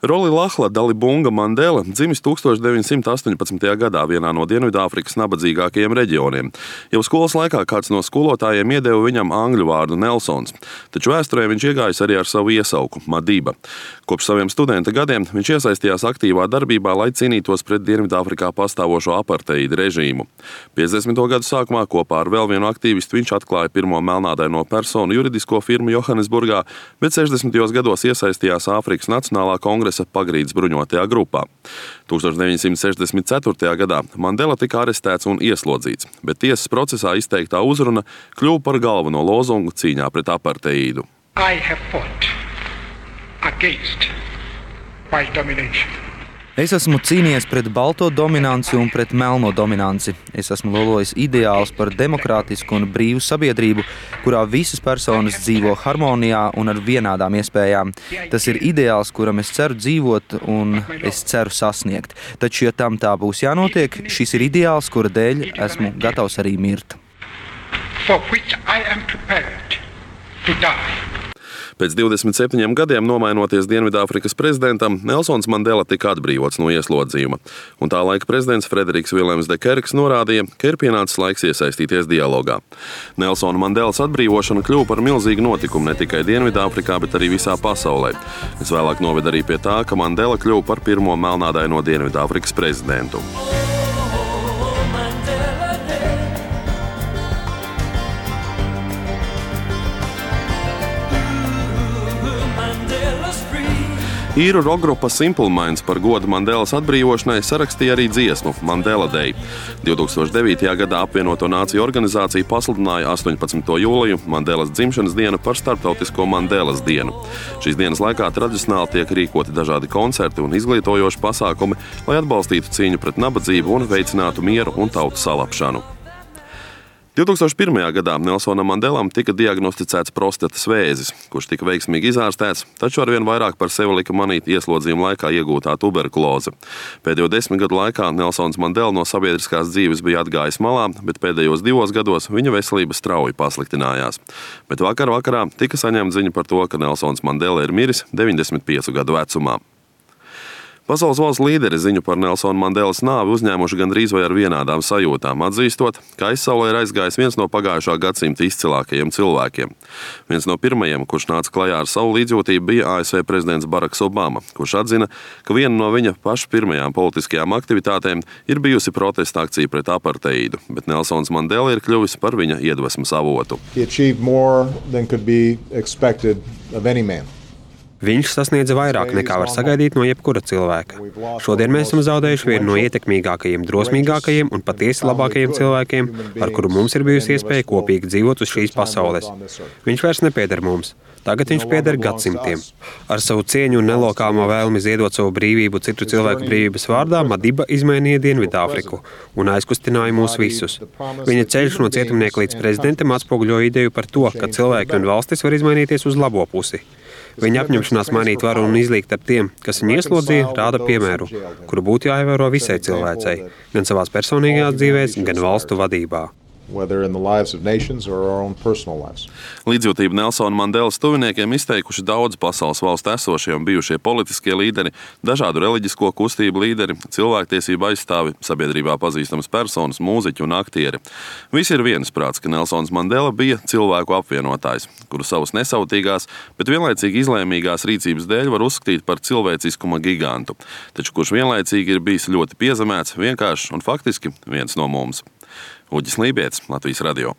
Roli Lahla Dalibunga Mandela dzimis 1918. gadā vienā no Dienvidāfrikas nabadzīgākajiem reģioniem. Jau skolas laikā kāds no skolotājiem iedeva viņam angļu vārdu Nelsons, taču vēsturē viņš iegājis arī ar savu iesauku – Madiba. Kopš saviem studenta gadiem viņš iesaistījās aktīvā darbībā, lai cīnītos pret Dienvidāfrikā pastāvošo aparteida režīmu. 50. gadu sākumā kopā ar vēl vienu aktīvistu viņš atklāja pirmo melnādaino personu juridisko firmu Johannesburgā, bet 60. gados iesaistījās Āfrikas Nacionālā kongresa Pagrīdes bruņotajā grupā. 1964. gadā Mandela tika arestēts un ieslodzīts, bet tiesas procesā izteiktā uzruna kļuva par galveno lozungu cīņā pret aparteidu. I have fought against white domination. Es esmu cīnījies pret balto dominanci un pret melno dominanci. Es esmu lolojis ideālus par demokrātisku un brīvu sabiedrību, kurā visas personas dzīvo harmonijā un ar vienādām iespējām. Tas ir ideāls, kuram es ceru dzīvot un es ceru sasniegt. Taču, ja tam tā būs jānotiek, šis ir ideāls, kura dēļ esmu gatavs arī mirt. For which I am prepared to die. Pēc 27 gadiem nomainoties Dienvidāfrikas prezidentam, Nelsons Mandela tika atbrīvots no ieslodzījuma. Un tā laika prezidents Frederiks Viljams de Kerks norādīja, ka ir pienācis laiks iesaistīties dialogā. Nelsona Mandelas atbrīvošana kļuva par milzīgu notikumu ne tikai Dienvidāfrikā, bet arī visā pasaulē. Tas vēlāk noveda arī pie tā, ka Mandela kļuva par pirmo melnādaino Dienvidāfrikas prezidentu. Īru rokgrupa Simple Minds par godu Mandelas atbrīvošanai sarakstīja arī dziesmu Mandela Day. 2009. gadā apvienoto nāciju organizācija pasludināja 18. jūliju Mandelas dzimšanas dienu par starptautisko Mandelas dienu. Šīs dienas laikā tradicionāli tiek rīkoti dažādi koncerti un izglītojoši pasākumi, lai atbalstītu cīņu pret nabadzību un veicinātu mieru un tautu salapšanu. 2001. gadā Nelsonam Mandelam tika diagnosticēts prostatas vēzis, kurš tika veiksmīgi izārstēts, taču arvien vairāk par sevi lika manīt ieslodzījuma laikā iegūtā tuberkuloze. Pēdējo 10 gadu laikā Nelsons Mandela no sabiedriskās dzīves bija atgājis malā, bet pēdējos 2 gados viņa veselība strauji pasliktinājās. Bet vakarā tika saņemta ziņa par to, ka Nelsons Mandela ir miris 95 gadu vecumā. Pasaules valstu līderi ziņu par Nelsona Mandelas nāvi uzņēmuši gandrīz vai ar vienādām sajūtām, atzīstot, ka aizsaulē ir aizgājis viens no pagājušā gadsimta izcilākajiem cilvēkiem. Viens no pirmajiem, kurš nāca klajā ar savu līdzjūtību, bija ASV prezidents Baraks Obama, kurš atzina, ka viena no viņa paša pirmajām politiskajām aktivitātēm ir bijusi protesta akcija pret aparteidu, bet Nelsons Mandela ir kļuvis par viņa iedvesmas avotu. Viņš sasniedza vairāk nekā var sagaidīt no jebkura cilvēka. Šodien mēs esam zaudējuši vienu no ietekmīgākajiem, drosmīgākajiem un patiesi labākajiem cilvēkiem, ar kuru mums ir bijusi iespēja kopīgi dzīvot uz šīs pasaules. Viņš vairs nepieder mums. Tagad viņš pieder gadsimtiem. Ar savu cieņu un nelokāmo vēlmi ziedot savu brīvību citu cilvēku brīvības vārdā, Madiba izmainīja Dienvidāfriku un aizkustināja mūs visus. Viņa ceļš no cietumnieka līdz prezidentam atspoguļo ideju par to, ka cilvēki un valstis var izmainīties uz labo pusi. Viņa apņemšanās mainīt varu un izlīgt ar tiem, kas viņu ieslodzīja, rāda piemēru, kuru būtu jāievēro visai cilvēcei, gan savās personīgajās dzīvēs, gan valstu vadībā. Līdzjūtību Nelsona Mandelas tuviniekiem izteikuši daudz pasaules valstu esošie un bijušie politiskie līderi, dažādu reliģisko kustību līderi, cilvēktiesību aizstāvi, sabiedrībā pazīstamas personas, mūziķi un aktieri. Visi ir viensprāts, ka Nelsons Mandela bija cilvēku apvienotājs, kuru savas nesautīgās, bet vienlaicīgi izlēmīgās rīcības dēļ var uzskatīt par cilvēciskuma gigantu, taču kurš vienlaicīgi ir bijis ļoti piezemēts, vienkāršs un faktiski viens no mums. Uģis Lībietis, Latvijas radio.